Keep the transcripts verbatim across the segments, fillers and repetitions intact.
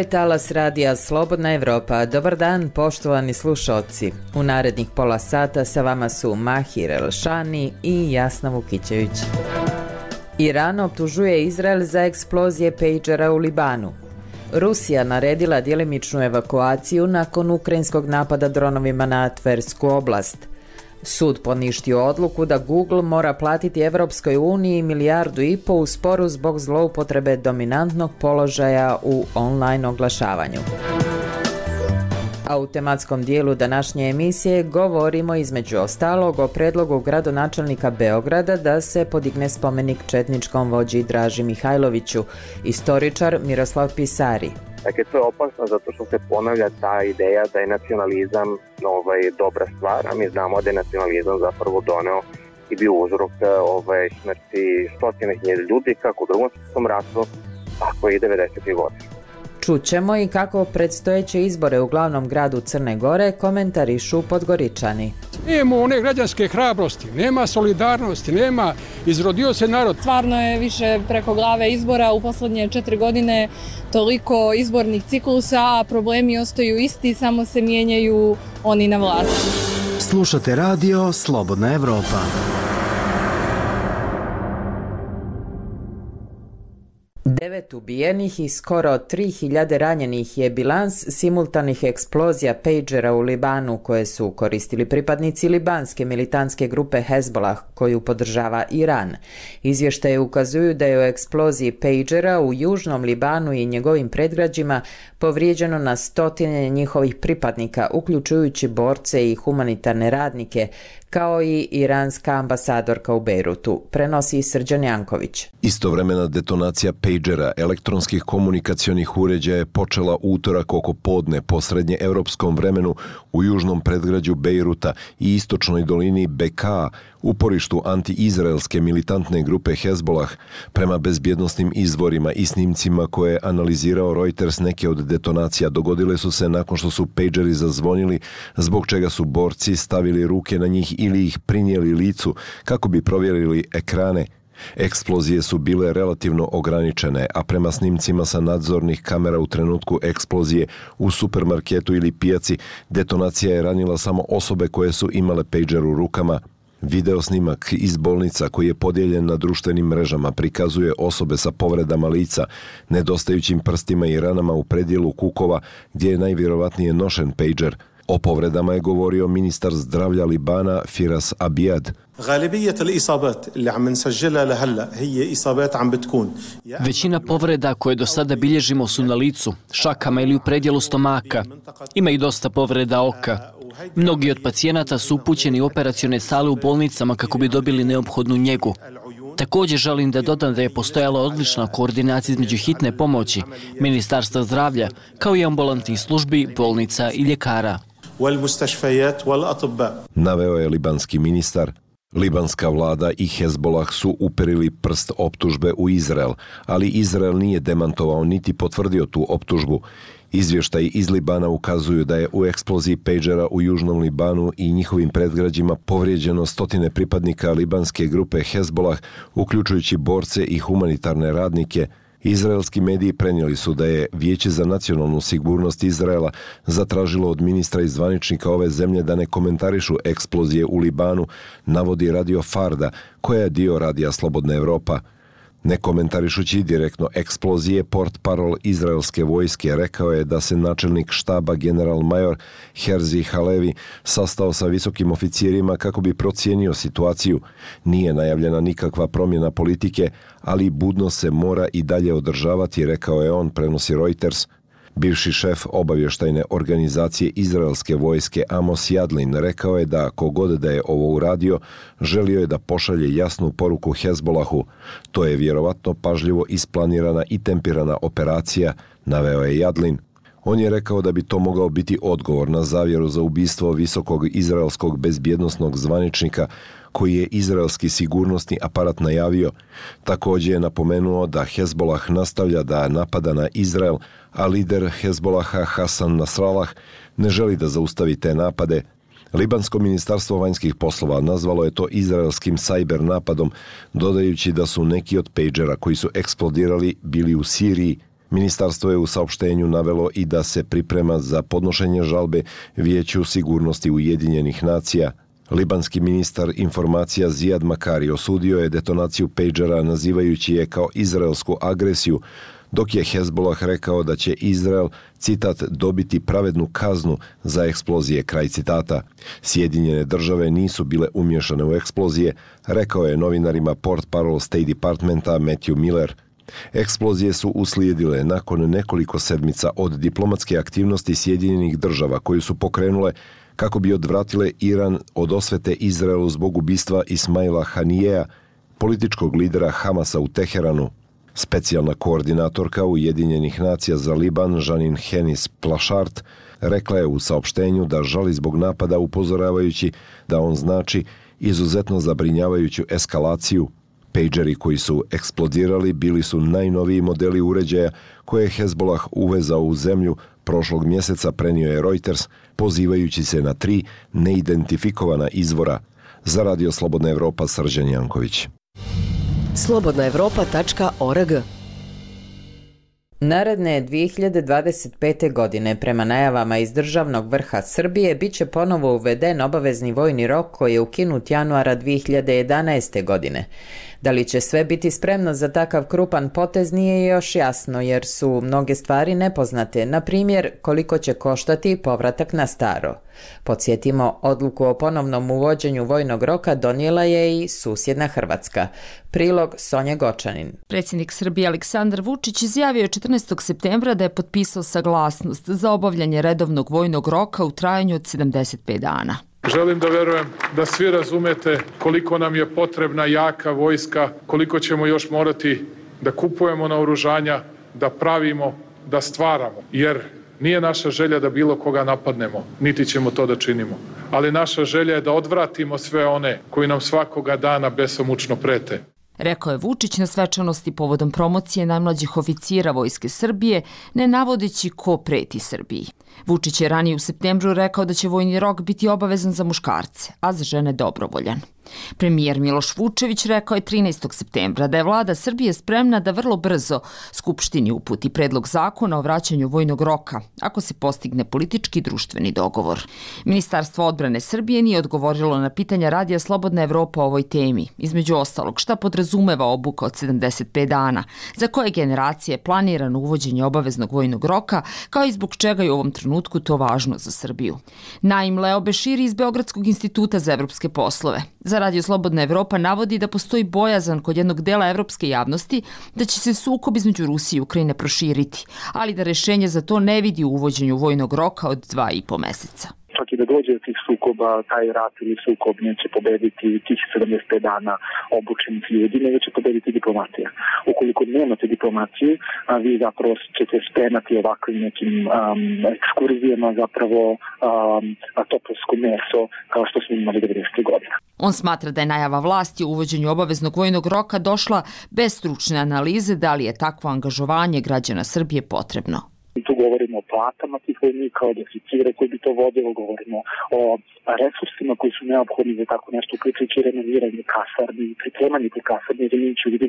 je talas radija Slobodna Evropa. Dobar dan, poštovani slušalci. U narednih pola sata sa vama su Mahir Elšani i Jasna Vukićević. Iran optužuje Izrael za eksplozije pejđera u Libanu. Rusija naredila djelimičnu evakuaciju nakon ukrajinskog napada dronovima na Tversku oblast. Sud poništio odluku da Google mora platiti Evropskoj uniji milijardu i po u sporu zbog zloupotrebe dominantnog položaja u online oglašavanju. A u tematskom dijelu današnje emisije govorimo između ostalog o predlogu gradonačelnika Beograda da se podigne spomenik četničkom vođi Draži Mihajloviću, istoričar Miroslav Pisari. Dakle, to je opasno zato što se ponavlja ta ideja da je nacionalizam ovaj, dobra stvar, a mi znamo da je nacionalizam zapravo doneo i bio uzrok ovaj, smrti stotine hiljada ljudi kako u Drugom svjetskom ratu, tako i devedesetih godina. Čućemo i kako predstojeće izbore u glavnom gradu Crne Gore komentarišu Podgoričani. Nema one građanske hrabrosti, nema solidarnosti, nema, izrodio se narod. Stvarno je više preko glave izbora u posljednje četiri godine, toliko izbornih ciklusa, a problemi ostaju isti, samo se mijenjaju oni na vlasti. Slušate radio Slobodna Evropa. Devet ubijenih i skoro tri hiljade ranjenih je bilans simultanih eksplozija pejđera u Libanu koje su koristili pripadnici libanske militantske grupe Hezbollah koju podržava Iran. Izvještaje ukazuju da je u eksploziji pejđera u južnom Libanu i njegovim predgrađima povrijeđeno na stotine njihovih pripadnika, uključujući borce i humanitarne radnike, kao i iranska ambasadorka u Bejrutu, prenosi Srđan Janković. Istovremena detonacija pejđera elektronskih komunikacionih uređaja je počela utorak oko podne po srednje evropskom vremenu u južnom predgrađu Bejruta i istočnoj dolini Beka, uporištu anti-izraelske militantne grupe Hezbollah. Prema bezbjednosnim izvorima i snimcima koje je analizirao Reuters, neke od detonacija dogodile su se nakon što su pejđeri zazvonili, zbog čega su borci stavili ruke na njih ili ih prinijeli licu kako bi provjerili ekrane. Eksplozije su bile relativno ograničene, a prema snimcima sa nadzornih kamera u trenutku eksplozije u supermarketu ili pijaci, detonacija je ranila samo osobe koje su imale pejđer u rukama. Video snimak iz bolnica koji je podijeljen na društvenim mrežama prikazuje osobe sa povredama lica, nedostajućim prstima i ranama u predjelu kukova gdje je najvjerovatnije nošen pejđer. O povredama je govorio ministar zdravlja Libana Firas Abijad. Većina povreda koje do sada bilježimo su na licu, šakama ili u predjelu stomaka. Ima i dosta povreda oka. Mnogi od pacijenata su upućeni u operacione sale u bolnicama kako bi dobili neophodnu njegu. Također želim da dodam da je postojala odlična koordinacija između hitne pomoći, Ministarstva zdravlja, kao i ambulantnih službi, bolnica i ljekara. Naveo je libanski ministar. Libanska vlada i Hezbollah su uperili prst optužbe u Izrael, ali Izrael nije demantovao niti potvrdio tu optužbu. Izvještaji iz Libana ukazuju da je u eksploziji pejđera u južnom Libanu i njihovim predgrađima povrijeđeno stotine pripadnika libanske grupe Hezbollah, uključujući borce i humanitarne radnike. Izraelski mediji prenijeli su da je Vijeće za nacionalnu sigurnost Izraela zatražilo od ministra i zvaničnika ove zemlje da ne komentarišu eksplozije u Libanu, navodi Radio Farda, koja je dio radija Slobodna Evropa. Ne komentarišući direktno eksplozije, portparol izraelske vojske rekao je da se načelnik štaba general major Herzi Halevi sastao sa visokim oficirima kako bi procijenio situaciju. Nije najavljena nikakva promjena politike, ali budno se mora i dalje održavati, rekao je on, prenosi Reuters. Bivši šef obavještajne organizacije izraelske vojske Amos Yadlin rekao je da kogod da je ovo uradio, želio je da pošalje jasnu poruku Hezbollahu. To je vjerovatno pažljivo isplanirana i tempirana operacija, naveo je Yadlin. On je rekao da bi to mogao biti odgovor na zavjeru za ubistvo visokog izraelskog bezbjednosnog zvaničnika koji je izraelski sigurnosni aparat najavio. Također je napomenuo da Hezbollah nastavlja da napada na Izrael, a lider Hezbollaha Hasan Nasrallah ne želi da zaustavi te napade. Libansko ministarstvo vanjskih poslova nazvalo je to izraelskim sajber napadom, dodajući da su neki od pejđera koji su eksplodirali bili u Siriji. Ministarstvo je u saopštenju navelo i da se priprema za podnošenje žalbe Vijeću sigurnosti Ujedinjenih nacija. Libanski ministar informacija Zijad Makari osudio je detonaciju pejđera nazivajući je kao izraelsku agresiju, dok je Hezbollah rekao da će Izrael, citat, dobiti pravednu kaznu za eksplozije, kraj citata. Sjedinjene države nisu bile umješane u eksplozije, rekao je novinarima portparol State Departmenta Matthew Miller. Eksplozije su uslijedile nakon nekoliko sedmica od diplomatske aktivnosti Sjedinjenih država koju su pokrenule kako bi odvratile Iran od osvete Izraelu zbog ubistva Ismaila Hanijeja, političkog lidera Hamasa u Teheranu. Specijalna koordinatorka Ujedinjenih nacija za Liban, Janine Hennis-Plašart, rekla je u saopštenju da žali zbog napada, upozoravajući da on znači izuzetno zabrinjavajuću eskalaciju. Pejđeri koji su eksplodirali bili su najnoviji modeli uređaja koje je Hezbollah uvezao u zemlju prošlog mjeseca, prenio je Reuters, pozivajući se na tri neidentifikovana izvora. Za Radio Slobodna Evropa, Srđan Janković. slobodna evropa tačka org. Naredne dvije hiljade dvadeset pete. godine, prema najavama iz državnog vrha Srbije, bit će ponovo uveden obavezni vojni rok koji je ukinut januara dvije hiljade jedanaeste. godine. Da li će sve biti spremno za takav krupan potez nije još jasno, jer su mnoge stvari nepoznate, na primjer koliko će koštati povratak na staro. Podsjetimo, odluku o ponovnom uvođenju vojnog roka donijela je i susjedna Hrvatska. Prilog Sonja Gočanin. Predsjednik Srbije Aleksandar Vučić izjavio je četrnaestog septembra da je potpisao saglasnost za obavljanje redovnog vojnog roka u trajanju od sedamdeset pet dana. Želim da verujem da svi razumete koliko nam je potrebna jaka vojska, koliko ćemo još morati da kupujemo naoružanja, da pravimo, da stvaramo. Jer nije naša želja da bilo koga napadnemo, niti ćemo to da činimo. Ali naša želja je da odvratimo sve one koji nam svakoga dana besomučno prete. Rekao je Vučić na svečanosti povodom promocije najmlađih oficira Vojske Srbije, ne navodeći ko preti Srbiji. Vučić je ranije u septembru rekao da će vojni rok biti obavezan za muškarce, a za žene dobrovoljan. Premijer Miloš Vučević rekao je trinaestog septembra da je vlada Srbije spremna da vrlo brzo Skupštini uputi predlog zakona o vraćanju vojnog roka, ako se postigne politički i društveni dogovor. Ministarstvo odbrane Srbije nije odgovorilo na pitanja Radija Slobodna Evropa o ovoj temi, između ostalog šta podrazumeva obuka od sedamdeset pet dana, za koje generacije je planirano uvođenje obaveznog vojnog roka, kao i zbog čega je u ovom trenutku to važno za Srbiju. Naim Leo Beširi iz Beogradskog instituta za evropske poslove za Radio Slobodna Evropa navodi da postoji bojazan kod jednog dela evropske javnosti da će se sukob između Rusije i Ukrajine proširiti, ali da rešenje za to ne vidi u uvođenju vojnog roka od dva i po meseca. Čak i da dođe do tih sukoba, taj rat ili sukob neće pobediti tih sedamdeset pet dana obučenih ljudi, nego će pobediti diplomatija. Ukoliko nemate diplomaciju, a vi zapravo ćete spremati ovakvim nekim um, ekskurzijama zapravo um, topovsko meso kao što smo imali devedesetih godina. On smatra da je najava vlasti o uvođenju obaveznog vojnog roka došla bez stručne analize da li je takvo angažovanje građana Srbije potrebno. Tu govorimo o platama tih vojnika, o deficire koji bi to vodilo, govorimo o resursima koji su neophodni za tako nešto, uključujući renoviranje kasarni i pripremanje tih kasarni, jer imajući u vidu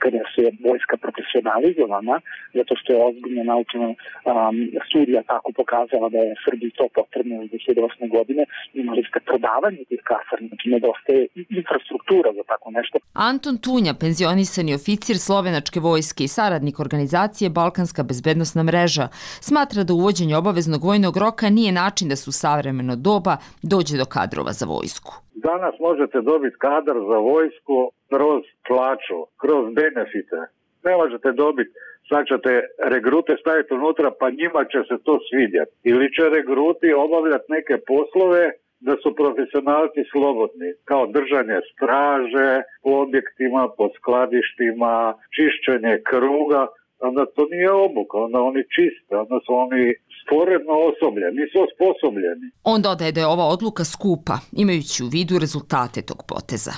kada se vojska profesionalizovana, zato što je ozbiljna naučna um, studija tako pokazala da je Srbiji to potrebno u dve hiljade osme. godine, imali ste prodavanje tih kasarni, znači nedostaje i infrastruktura za tako nešto. Anton Tunja, penzionisani oficir slovenačke vojske i saradnik organizacije Balkanska bezbednosna mreža, smatra da uvođenje obaveznog vojnog roka nije način da se u savremeno doba dođe do kadrova za vojsku. Danas možete dobiti kadar za vojsku kroz plaću, kroz benefite. Ne možete dobiti, sad ćete regrute staviti unutra pa njima će se to svidjeti. Ili će regruti obavljati neke poslove da su profesionalci slobodni, kao držanje straže po objektima, po skladištima, čišćenje kruga. Onda to nije obuka, onda oni čiste, onda su oni sporedno osobljeni, nisu osposobljeni. On dodaje da je ova odluka skupa, imajući u vidu rezultate tog poteza.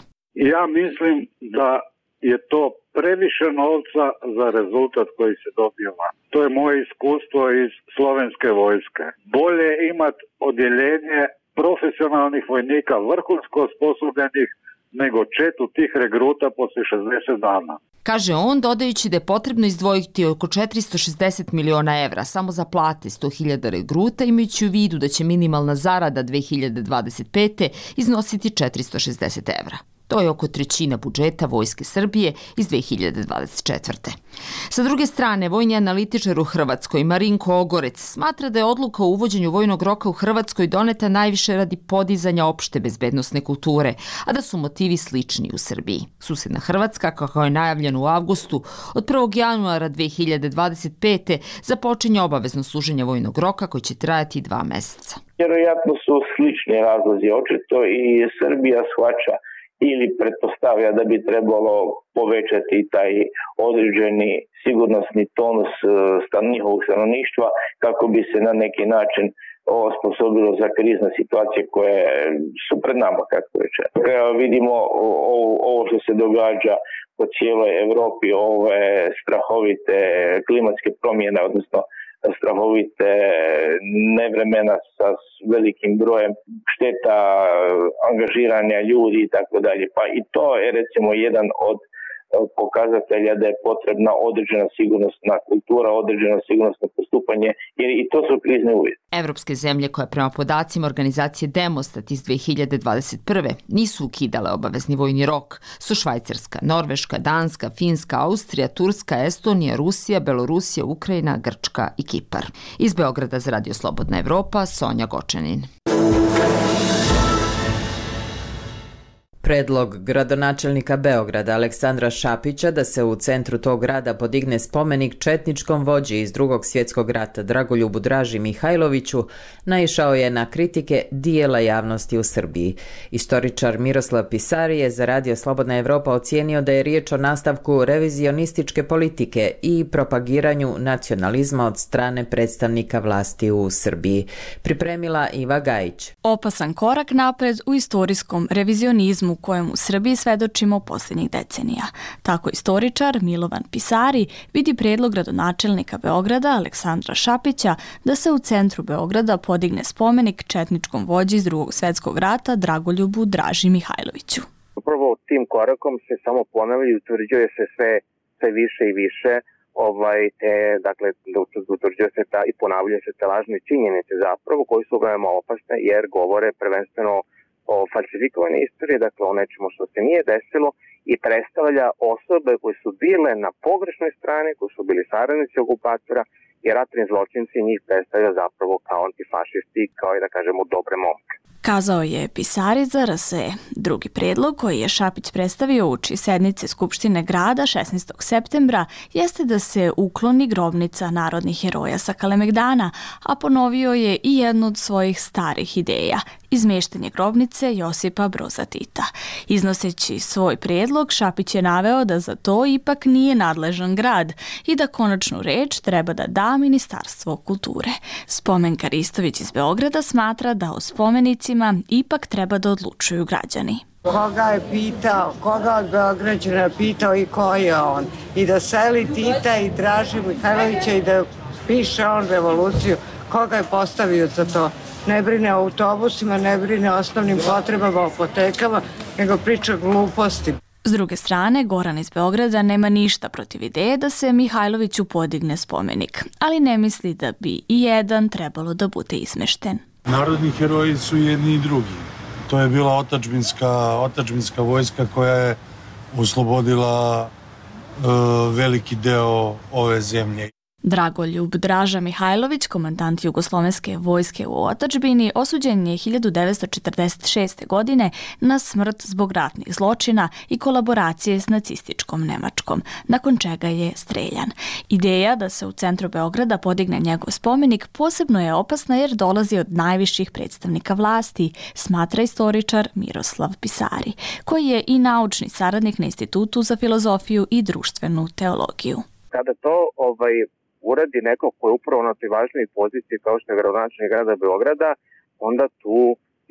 Ja mislim da je to previše novca za rezultat koji se dobiva. To je moje iskustvo iz slovenske vojske. Bolje imati odjeljenje profesionalnih vojnika, vrhunsko osposobljenih, nego četu tih regruta posle šezdeset dana. Kaže on, dodajući da je potrebno izdvojiti oko četiristo šezdeset miliona evra samo za plate sto hiljada regruta, imajući u vidu da će minimalna zarada dve hiljade dvadeset pete. iznositi četiristo šezdeset evra. To je oko trećina budžeta Vojske Srbije iz dve hiljade dvadeset četvrte. Sa druge strane, vojni analitičar u Hrvatskoj Marinko Ogorec smatra da je odluka o uvođenju vojnog roka u Hrvatskoj doneta najviše radi podizanja opšte bezbednosne kulture, a da su motivi slični u Srbiji. Susedna Hrvatska, kako je najavljeno u avgustu, od prvog januara dve hiljade dvadeset pete. započinje obavezno služenje vojnog roka koji će trajati dva meseca. Vjerojatno su slični razlozi očito i Srbija shvaća ili pretpostavlja da bi trebalo povećati taj određeni sigurnosni tonus njihovog stanovništva kako bi se na neki način osposobilo za krizne situacije koje su pred nama, kako reče. Vidimo ovo što se događa po cijeloj Evropi, ove strahovite klimatske promjene, odnosno strahovite nevremena sa velikim brojem šteta, angažiranja ljudi i tako dalje. Pa i to je recimo jedan od pokazatelja da je potrebna određena sigurnosna kultura, određeno sigurnosno postupanje, jer i to su krizni uvjeti. Evropske zemlje koje prema podacima organizacije Demostat iz dve hiljade dvadeset prve. nisu ukidale obavezni vojni rok su Švajcarska, Norveška, Danska, Finska, Austrija, Turska, Estonija, Rusija, Belorusija, Ukrajina, Grčka i Kipar. Iz Beograda za Radio Slobodna Evropa, Sonja Gočanin. Predlog gradonačelnika Beograda Aleksandra Šapića da se u centru tog grada podigne spomenik četničkom vođi iz Drugog svjetskog rata Dragoljubu Draži Mihajloviću naišao je na kritike dijela javnosti u Srbiji. Istoričar Miroslav Pisari je za Radio Slobodna Evropa ocijenio da je riječ o nastavku revizionističke politike i propagiranju nacionalizma od strane predstavnika vlasti u Srbiji. Pripremila Iva Gajić. Opasan korak napred u istorijskom revizionizmu u kojem u Srbiji svedočimo posljednjih decenija. Tako istoričar Milovan Pisari vidi prijedlog gradonačelnika Beograda Aleksandra Šapića da se u centru Beograda podigne spomenik četničkom vođi iz Drugog svjetskog rata Dragoljubu Draži Mihajloviću. Upravo tim korakom se samo ponavlja i utvrđuje se sve, sve više i više ovaj, te, dakle, utvrđuje se ta i ponavljaju se te lažne činjenice zapravo koji su veoma opasne jer govore prvenstveno o falsifikovanoj istoriji, dakle o nečemu što se nije desilo i predstavlja osobe koje su bile na pogrešnoj strani, koji su bili saradnici okupatora i ratni zločinci njih predstavlja zapravo kao antifašisti, kao i da kažemo dobre momke. Kazao je Pisari za R S E. Drugi prijedlog koji je Šapić predstavio uoči sednice Skupštine grada šesnaestog septembra jeste da se ukloni grobnica narodnih heroja sa Kalemegdana, a ponovio je i jednu od svojih starih ideja, izmeštanje grobnice Josipa Broza Tita. Iznoseći svoj prijedlog, Šapić je naveo da za to ipak nije nadležan grad i da konačnu reč treba da da Ministarstvo kulture. Spomenka Ristović iz Beograda smatra da o spomenicima ipak treba da odlučuju građani. Koga je pitao, koga od Beograđana je pitao i ko je on. I da seli Tita i Draži Mihajlovića i da piše on revoluciju, koga je postavio za to. Ne brine o autobusima, ne brine o osnovnim potrebama, o apotekama, nego priča gluposti. S druge strane, Goran iz Beograda nema ništa protiv ideje da se Mihajloviću podigne spomenik, ali ne misli da bi i jedan trebalo da bude izmešten. Narodni heroji su jedni i drugi. To je bila otadžbinska, otadžbinska vojska koja je oslobodila uh, veliki deo ove zemlje. Dragoljub Draža Mihajlović, komandant Jugoslovenske vojske u otadžbini, osuđen je hiljadu devetsto četrdeset šeste. godine na smrt zbog ratnih zločina i kolaboracije s nacističkom Nemačkom, nakon čega je streljan. Ideja da se u centru Beograda podigne njegov spomenik posebno je opasna jer dolazi od najviših predstavnika vlasti, smatra istoričar Miroslav Pisari, koji je i naučni saradnik na Institutu za filozofiju i društvenu teologiju. Kada to ovaj uradi neko ko je upravo na toj važnoj poziciji kao što je gradonačelnik grada Beograda, onda tu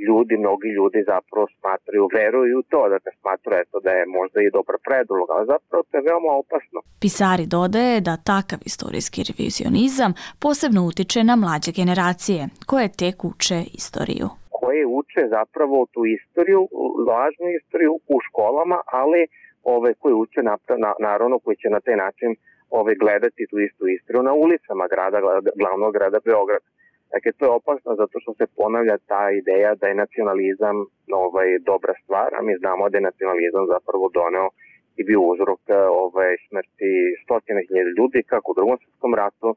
ljudi, mnogi ljudi zapravo smatraju, veruju u to, da te smatraju eto, da je možda i dobar predlog, ali zapravo to je veoma opasno. Pisari dodaje da takav istorijski revizionizam posebno utiče na mlađe generacije, koje tek uče istoriju. koje uče zapravo tu istoriju, lažnu istoriju u školama, ali ove koje uče naravno koji će na taj način ove gledati tu istu istoriju na ulicama grada, glavnog grada Beograda. Dakle, to je opasno zato što se ponavlja ta ideja da je nacionalizam ovaj, dobra stvar, a mi znamo da je nacionalizam zapravo doneo i bio uzrok ovaj, smrti stotine hiljada ljudi kako u Drugom svjetskom ratu,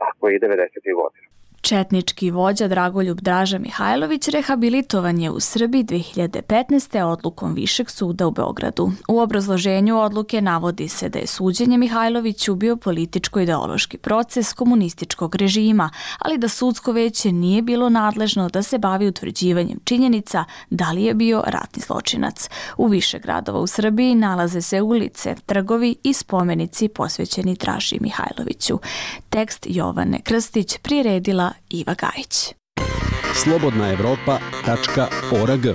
tako i devedesetih godina. Četnički vođa Dragoljub Draža Mihajlović rehabilitovan je u Srbiji dve hiljade petnaeste. odlukom Višeg suda u Beogradu. U obrazloženju odluke navodi se da je suđenje Mihajloviću bio političko-ideološki proces komunističkog režima, ali da sudsko veće nije bilo nadležno da se bavi utvrđivanjem činjenica da li je bio ratni zločinac. U više gradova u Srbiji nalaze se ulice, trgovi i spomenici posvećeni Draži Mihajloviću. Tekst Jovane Krstić priredila Iva Gajić. slobodna evropa tačka org.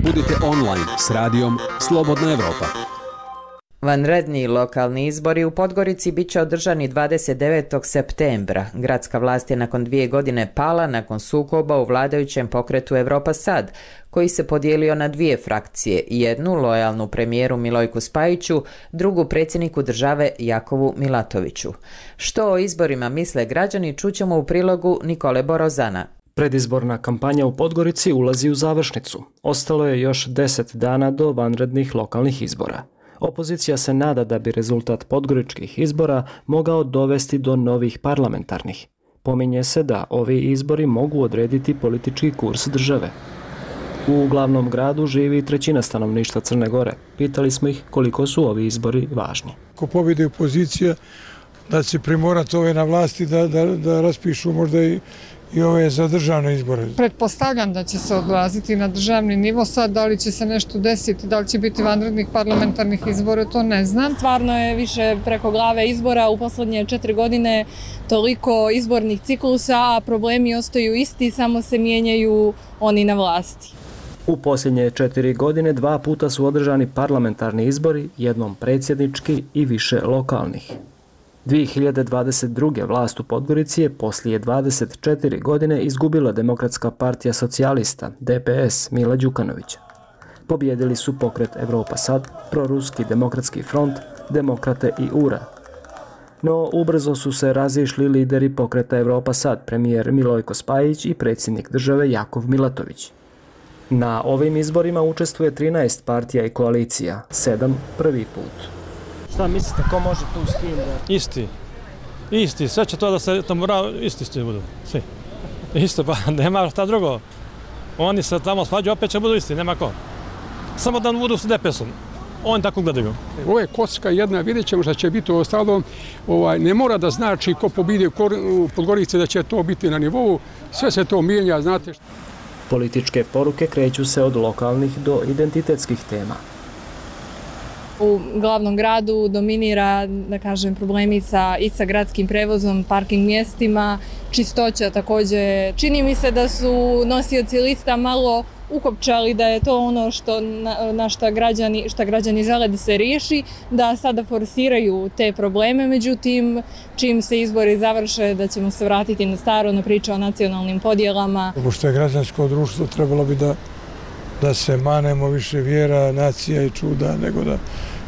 Budite online s radijom Slobodna Evropa. Vanredni lokalni izbori u Podgorici bit će održani dvadeset devetog septembra. Gradska vlast je nakon dvije godine pala nakon sukoba u vladajućem pokretu Evropa Sad, koji se podijelio na dvije frakcije, jednu lojalnu premijeru Milojku Spajiću, drugu predsjedniku države Jakovu Milatoviću. Što o izborima misle građani čućemo u prilogu Nikole Borozana. Predizborna kampanja u Podgorici ulazi u završnicu. Ostalo je još deset dana do vanrednih lokalnih izbora. Opozicija se nada da bi rezultat podgoričkih izbora mogao dovesti do novih parlamentarnih. Pominje se da ovi izbori mogu odrediti politički kurs države. U glavnom gradu živi trećina stanovništva Crne Gore. Pitali smo ih koliko su ovi izbori važni. Ako pobjede opozicija, da će primorati ove na vlasti da, da, da raspišu možda i i ove za državne izbore. Pretpostavljam da će se odraziti na državni nivo. Sad, da li će se nešto desiti, da li će biti vanrednih parlamentarnih izbora, to ne znam. Stvarno je više preko glave izbora. U poslednje četiri godine toliko izbornih ciklusa, a problemi ostaju isti, samo se mijenjaju oni na vlasti. U posljednje četiri godine dva puta su održani parlamentarni izbori, jednom predsjednički i više lokalnih. dvije hiljade dvadeset druge. vlast u Podgorici je poslije dvadeset četiri godine izgubila Demokratska partija socijalista, D P S, Mila Đukanovića. Pobjedili su pokret Evropa Sad, proruski demokratski front, Demokrate i U R A. No, ubrzo su se razišli lideri pokreta Evropa Sad, premijer Milojko Spajić i predsjednik države Jakov Milatović. Na ovim izborima učestvuje trinaest partija i koalicija, sedam prvi put. Šta mislite, ko može tu s kim da... Isti. Isti. Sve će to da se tamo isti ste budu. Svi. Isto, pa nema šta drugo. Oni se tamo svađaju, opet će budu isti, nema ko. Samo da budu s D P S-om. Oni tako gledaju. Ovo je kocka jedna, vidjet ćemo šta će biti u ostalom. Ovaj, ne mora da znači ko pobidi u Podgorici da će to biti na nivou. Sve se to mijenja, znate. Političke poruke kreću se od lokalnih do identitetskih tema. U glavnom gradu dominira, da kažem, problemi sa, i sa gradskim prevozom, parking mjestima, čistoća također. Čini mi se da su nosioci lista malo ukopčali da je to ono što, na, na šta građani, šta građani žele da se riješi, da sada forsiraju te probleme, međutim, čim se izbori završe, da ćemo se vratiti na staro, na priču o nacionalnim podjelama. Pošto je građansko društvo, trebalo bi da da se manemo više vjera, nacija i čuda, nego da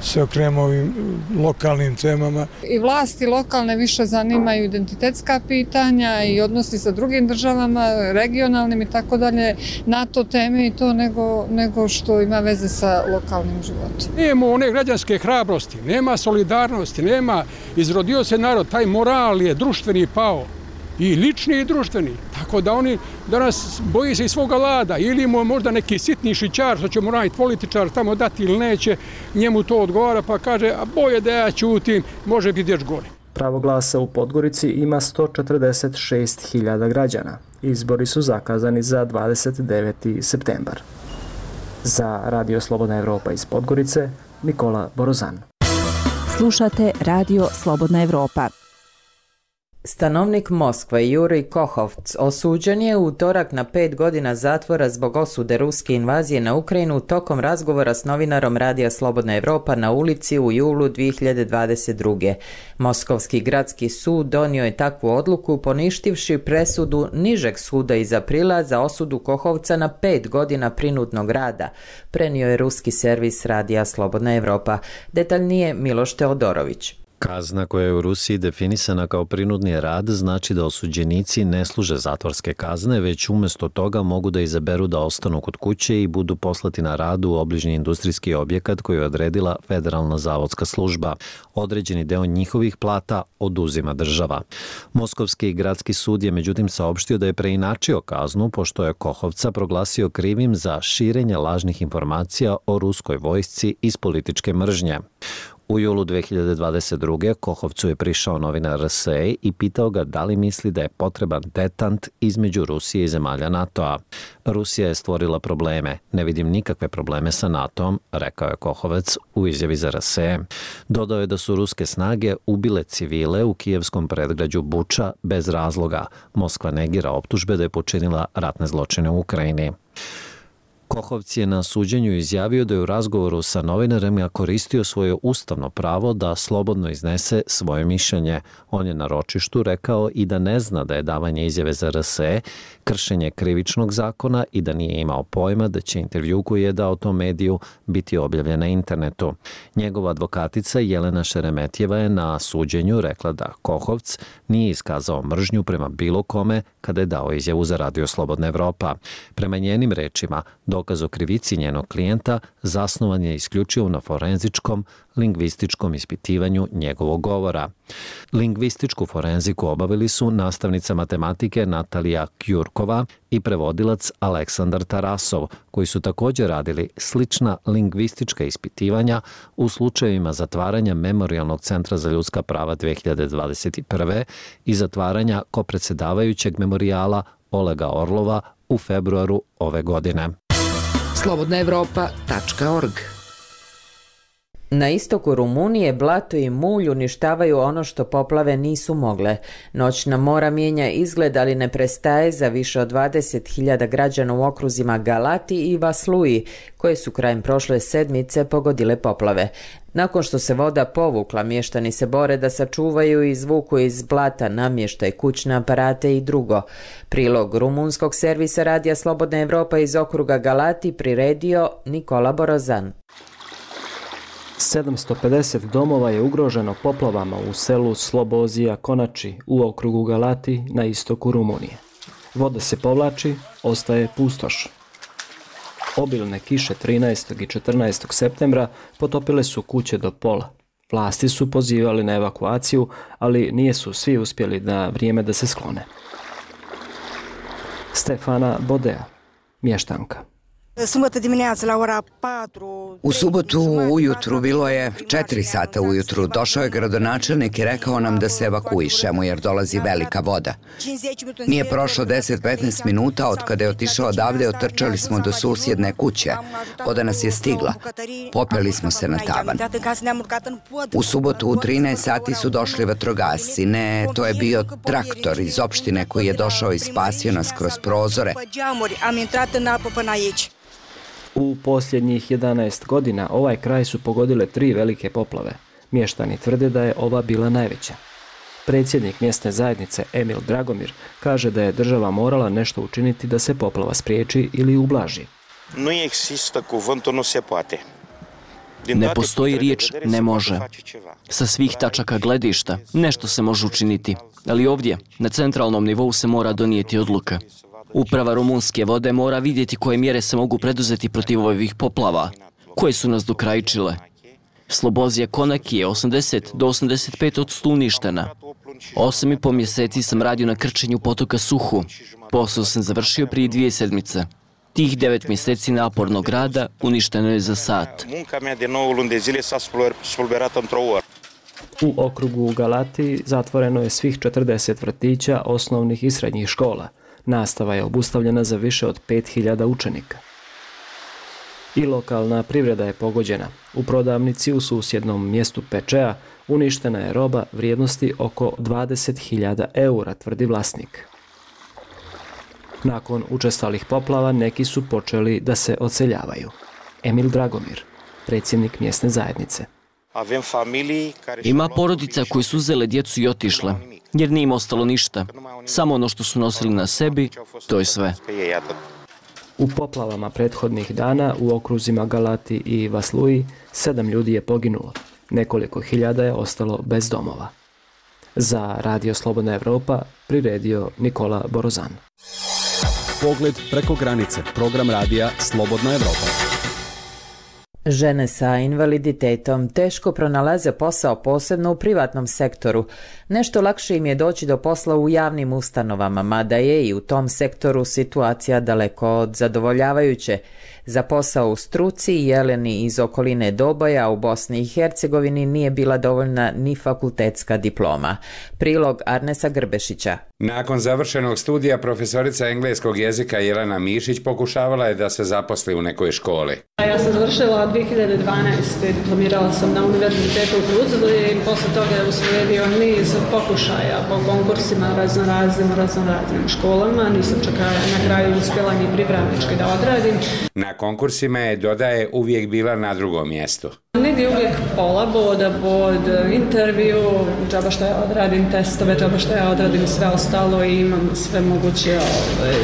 se okrenemo ovim lokalnim temama. I vlasti lokalne više zanimaju identitetska pitanja i odnosi sa drugim državama, regionalnim i tako dalje, NATO teme i to nego, nego što ima veze sa lokalnim životom. Nema one građanske hrabrosti, nema solidarnosti, nema, izrodio se narod, taj moral je društveni pao. I lični i društveni. Tako da oni danas boji se i svoga lada. Ili mu možda neki sitni šićar, što će mu raditi političar, tamo dati ili neće, njemu to odgovara pa kaže, a boje da ja ćutim, može biti još gore. Pravo glasa u Podgorici ima sto četrdeset šest hiljada građana. Izbori su zakazani za dvadeset deveti septembar. Za Radio Slobodna Evropa iz Podgorice, Nikola Borozan. Slušate Radio Slobodna Evropa. Stanovnik Moskve Jurij Kohovc osuđen je u utorak na pet godina zatvora zbog osude ruske invazije na Ukrajinu tokom razgovora s novinarom Radija Slobodna Evropa na ulici u julu dvije hiljade dvadeset druge. Moskovski gradski sud donio je takvu odluku poništivši presudu nižeg suda iz aprila za osudu Kohovca na pet godina prinudnog rada, prenio je ruski servis Radija Slobodna Evropa. Detaljnije Miloš Teodorović. Kazna koja je u Rusiji definisana kao prinudni rad znači da osuđenici ne služe zatvorske kazne, već umjesto toga mogu da izaberu da ostanu kod kuće i budu poslati na rad u obližnji industrijski objekat koji je odredila Federalna zavodska služba. Određeni deo njihovih plata oduzima država. Moskovski gradski sud je međutim saopštio da je preinačio kaznu pošto je Kohovca proglasio krivim za širenje lažnih informacija o ruskoj vojsci iz političke mržnje. U julu dvije hiljade dvadeset druge. Kohovcu je prišao novinar R S E i pitao ga da li misli da je potreban detant između Rusije i zemalja NATO-a. Rusija je stvorila probleme. Ne vidim nikakve probleme sa NATO-om, rekao je Kohovac u izjavi za R S E. Dodao je da su ruske snage ubile civile u kijevskom predgrađu Buča bez razloga. Moskva negira optužbe da je počinila ratne zločine u Ukrajini. Kohovc je na suđenju izjavio da je u razgovoru sa novinarima koristio svoje ustavno pravo da slobodno iznese svoje mišljenje. On je na ročištu rekao i da ne zna da je davanje izjave za R S E kršenje krivičnog zakona i da nije imao pojma da će intervju koji je dao tom mediju biti objavljen na internetu. Njegova advokatica Jelena Šeremetjeva je na suđenju rekla da Kohovc nije iskazao mržnju prema bilo kome kada je dao izjavu za Radio Slobodna Evropa. Prema njenim rečima, dokaz o krivici njenog klijenta zasnovan je isključivo na forenzičkom, lingvističkom ispitivanju njegovog govora. Lingvističku forenziku obavili su nastavnica matematike Natalija Kjurkova i prevodilac Aleksandar Tarasov, koji su također radili slična lingvistička ispitivanja u slučajevima zatvaranja Memorijalnog centra za ljudska prava dvije hiljade dvadeset prve. i zatvaranja kopredsjedavajućeg memorijala Olega Orlova u februaru ove godine. slobodna evropa tačka org. Na istoku Rumunije blato i mulj uništavaju ono što poplave nisu mogle. Noćna mora mijenja izgled, ali ne prestaje za više od dvadeset hiljada građana u okruzima Galati i Vasluji, koje su krajem prošle sedmice pogodile poplave. Nakon što se voda povukla, mještani se bore da sačuvaju i izvuku iz blata namještaj, kućne aparate i drugo. Prilog rumunskog servisa Radija Slobodna Evropa iz okruga Galati priredio Nikola Borozan. sedamsto pedeset domova je ugroženo poplavama u selu Slobozija Konači u okrugu Galati na istoku Rumunije. Voda se povlači, ostaje pustoš. Obilne kiše trinaestog i četrnaestog septembra potopile su kuće do pola. Vlasti su pozivali na evakuaciju, ali nije su svi uspjeli na vrijeme da se sklone. Stefana Bodea, mještanka. U subotu ujutru, bilo je četiri sata ujutru, došao je gradonačelnik i rekao nam da se evakuišemo jer dolazi velika voda. Nije prošlo deset do petnaest minuta od kada je otišao odavde, otrčali smo do susjedne kuće. Voda nas je stigla. Popeli smo se na tavan. U subotu u trinaest sati su došli vatrogasci. Ne, to je bio traktor iz opštine koji je došao i spasio nas kroz prozore. U posljednjih jedanaest godina ovaj kraj su pogodile tri velike poplave. Mještani tvrde da je ova bila najveća. Predsjednik mjesne zajednice Emil Dragomir kaže da je država morala nešto učiniti da se poplava spriječi ili ublaži. Ne postoji riječ ne može. Sa svih tačaka gledišta nešto se može učiniti, ali ovdje na centralnom nivou se mora donijeti odluka. Uprava rumunske vode mora vidjeti koje mjere se mogu preduzeti protiv ovih poplava, koje su nas dokrajčile. Slobozija Konaki je osamdeset do osamdeset pet posto uništena. Osam i po mjeseci sam radio na krčenju potoka Suhu. Posao sam završio prije dvije sedmice. Tih devet mjeseci napornog rada uništeno je za sat. U okrugu Galati zatvoreno je svih četrdeset vrtića osnovnih i srednjih škola. Nastava je obustavljena za više od pet hiljada učenika. I lokalna privreda je pogođena. U prodavnici u susjednom mjestu Pečea uništena je roba vrijednosti oko dvadeset hiljada eura, tvrdi vlasnik. Nakon učestalih poplava neki su počeli da se odseljavaju. Emil Dragomir, predsjednik mjesne zajednice. Ima porodica koji su uzele djecu i otišle, jer nije im ostalo ništa. Samo ono što su nosili na sebi, to je sve. U poplavama prethodnih dana u okruzima Galati i Vasluji sedam ljudi je poginulo. Nekoliko hiljada je ostalo bez domova. Za Radio Slobodna Evropa priredio Nikola Borozan. Pogled preko granice. Program radija Slobodna Evropa. Žene sa invaliditetom teško pronalaze posao, posebno u privatnom sektoru. Nešto lakše im je doći do posla u javnim ustanovama, mada je i u tom sektoru situacija daleko od zadovoljavajuće. Za posao u struci Jeleni iz okoline Doboja u Bosni i Hercegovini nije bila dovoljna ni fakultetska diploma. Prilog Arnesa Grbešića. Nakon završenog studija profesorica engleskog jezika Jelena Mišić pokušavala je da se zaposli u nekoj školi. Ja sam završila dvije hiljade dvanaeste. Diplomirala sam na univerzitetu u Tuzli i posle toga je uslijedio niz pokušaja po konkursima raznoraznim, raznoraznim školama. Nisam čak na kraju uspjela ni pripravnički da odradim. Na konkursima je, dodaje, uvijek bila na drugom mjestu. Negdje uvijek pola boda, bod, intervju, džaba što ja odradim testove, džaba što ja odradim sve ostalo i imam sve moguće ove,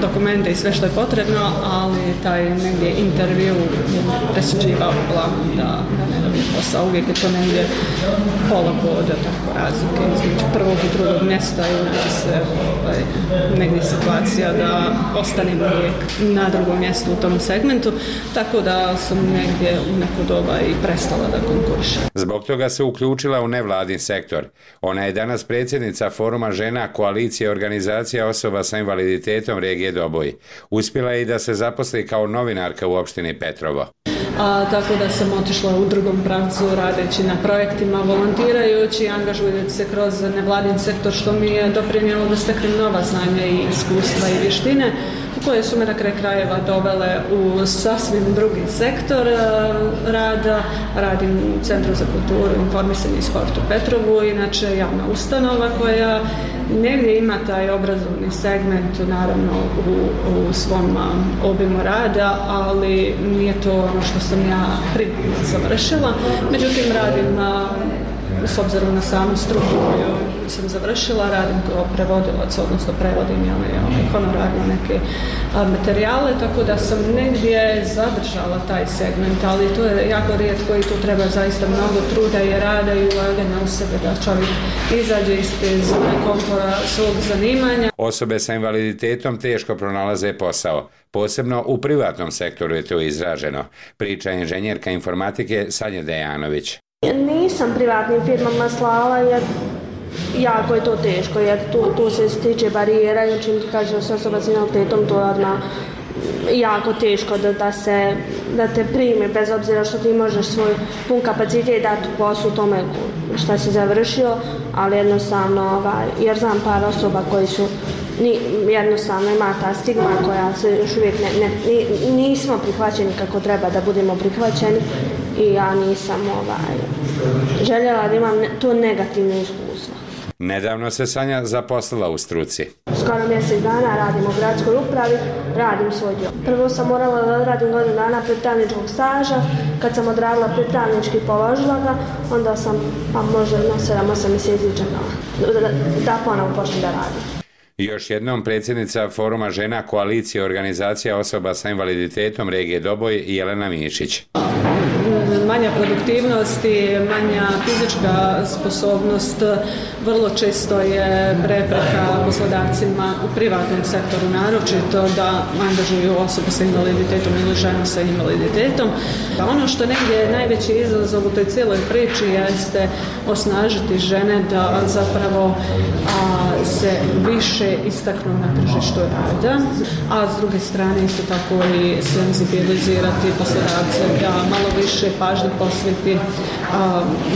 dokumente i sve što je potrebno, ali taj negdje intervju je presuđivao uglavnom da, da ne dobijem posao. Uvijek je to negdje pola boda, tako razlike između prvog i drugog mjesta i uvijek se ovaj, negdje situacija da ostanem uvijek na drugom mjestu u tom segmentu, tako da sam negdje u neko doba i prestala da konkuriše. Zbog toga se uključila u nevladin sektor. Ona je danas predsjednica Foruma žena Koalicije organizacija osoba sa invaliditetom regije Doboj. Uspjela je i da se zaposli kao novinarka u opštini Petrovo. A, tako da sam otišla u drugom pravcu radeći na projektima, volontirajući, angažujući se kroz nevladin sektor, što mi je doprinijelo da steknem nova znanja i iskustva i vještine, koje su me na kraj krajeva dovele u sasvim drugi sektor rada. Radim u Centru za kulturu, informisanje i sport u Petrovu, inače javna ustanova koja negdje ima taj obrazovni segment, naravno u, u svom obimu rada, ali nije to ono što sam ja primarno završila. Međutim, radim s obzirom na samu struku koju sam završila, radim kao prevodilac, odnosno prevodim ovaj, honorarno neke a, materijale, tako da sam negdje zadržala taj segment, ali to je jako rijetko i tu treba zaista mnogo truda i rada i ulaganja u sebe da čovjek izađe iz te zone komfora svog zanimanja. Osobe sa invaliditetom teško pronalaze posao. Posebno u privatnom sektoru je to izraženo, priča inženjerka informatike Sanja Dejanović. Nisam privatnim firmama slala jer jako je to teško, jer tu, tu se stiče barijera i čim ti kaže s osoba s invaliditetom, to je odmah jako teško da, da, se, da te prime, bez obzira što ti možeš svoj pun kapacitet dati poslu tome šta si završio, ali jednostavno, ovaj, jer znam par osoba koji su ni, jednostavno ima ta stigma koja se još uvijek ne, ne, nismo prihvaćeni kako treba da budemo prihvaćeni i ja nisam ovaj, željela da imam to negativno iskustvo. Nedavno se Sanja zaposlila u struci. Skoro mjesec dana radim u gradskoj upravi, radim svoj dio. Prvo sam morala da odradim godinu dana pripravničkog staža, kad sam odradila pripravnički položila ga, onda sam pa možda na sedam osam mjeseci čekala da, da, da ponovo počnem da radim. Još jednom predsjednica Foruma žena Koalicije organizacija osoba sa invaliditetom regije Doboj Jelena Mišić. Manja produktivnost i manja fizička sposobnost vrlo često je prepreka poslodavcima u privatnom sektoru, naročito da angažuju osobu sa invaliditetom ili ženu sa invaliditetom. Ono što negdje je najveći izazov u toj cijeloj priči jeste osnažiti žene da zapravo a, se više istaknu na tržištu rada, a s druge strane isto tako i senzibilizirati poslodavce da malo više pažnje posveti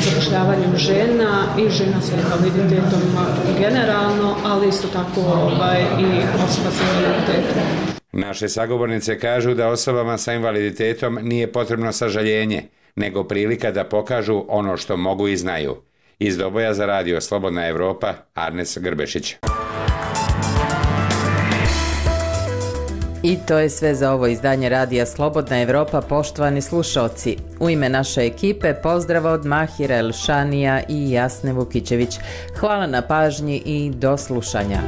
zapošljavanju žena i žena sa invaliditetom generalno, ali isto tako ovaj, i osoba sa invaliditetom. Naše sagovornice kažu da osobama sa invaliditetom nije potrebno sažaljenje, nego prilika da pokažu ono što mogu i znaju. Iz Doboja za radio Slobodna Evropa, Arnes Grbešić. I to je sve za ovo izdanje radija Slobodna Evropa, poštovani slušalci. U ime naše ekipe pozdrav od Mahira Elšanija i Jasne Vukićević. Hvala na pažnji i do slušanja.